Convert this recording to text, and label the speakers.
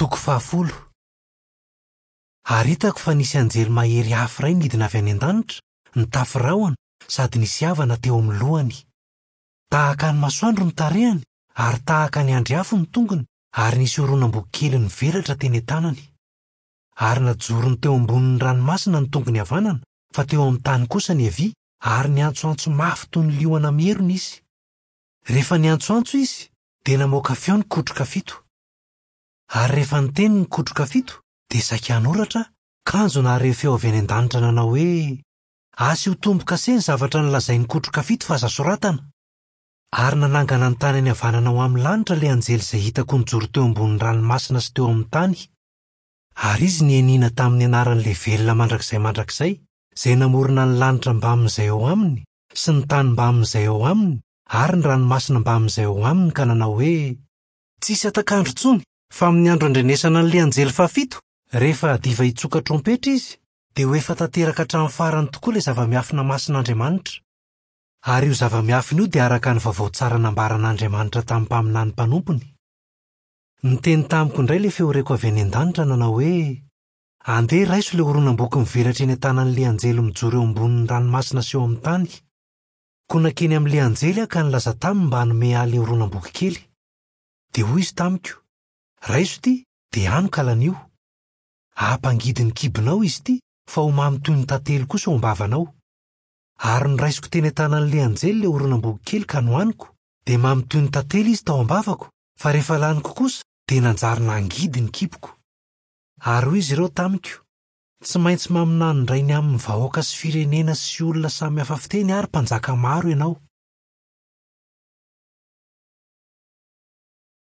Speaker 1: Toko fahafolo. Ary hitako fa nisy anjely mahery hafa iray nidina avy any an-danitra, nitafy rahona, sady nisy avana teo amin'ny lohany. Tahaka ny masoandro ny tarehiny, ary tahaka ny andry afo ny tongony, ary nisy horonam-boky kely nivelatra teny an-tanany. Ary najorony teo ambonin'ny ranomasina ny tongony havanana, fa teo amin'ny tany kosa ny havia, ary niantsoantso mafy toy ny liona mierona izy. Rehefa niantsoantso izy, dia namoaka feo ny kotroka fito. Ary rehefa niteny ny kotroka fito, dia saika hanoratra aho, kanjo nahare feo avy any an-danitra nanao hoe, Asio tombo-kase ny zavatra nolazain'ny kotroka fito fa aza soratana. Ary nanangana ny tanany havanana ho amin'ny lanitra ilay anjely izay hitako nijoro teo ambonin'ny ranomasina sy teo amin'ny tany. Ary izy nianiana tamin'ny anaran'ilay velona mandrakizay mandrakizay, izay namorona ny lanitra mbamin'izay ao aminy, sy ny tany mbamin'izay ao aminy, ary ny ranomasina mbamin'izay ao aminy ka nanao hoe, Tsy hisy hatak'andro intsony, fa amin'ny andro andrenesana an'ilay anjely fahafito, rehefa hadiva hitsoka trompetra izy, dia ho efa tanteraka hatramin'ny farany tokoa ilay zava-miafina masin'Andriamanitra. Ary io zava-miafina io dia araka ny vaovao tsara nambaran'Andriamanitra tamin'ny mpaminany mpanompony. Niteny tamiko indray ilay feo reko avy any an-danitra nanao hoe, Andeha raiso ilay horonam-boky mivelatra eny an-tanan'ilay anjely mijoro eo ambonin'ny ranomasina sy eo amin'ny tany. Koa nankeny amin'ilay anjely aho ka nilaza taminy mba hanome ahy ilay horonam-boky kely. Dia hoy izy tamiko, Raiso ity, dia hano ka lanio. Hampangidy ny kibonao izy ity, fa ho mamy toy ny tantely kosa ao am-bavanao. Ary noraisiko teny an-tanan'ilay anjely ilay horonam-boky kely ka nohaniko, dia mamy toy ny tantely izy tao am-bavako, fa rehefa laniko kosa, dia nanjary nangidy ny kiboko. Ary hoy izy ireo tamiko, Tsy maintsy maminany indray ny amin'ny vahoaka sy firenena sy olona samy hafa fiteny ary mpanjaka maro ianao.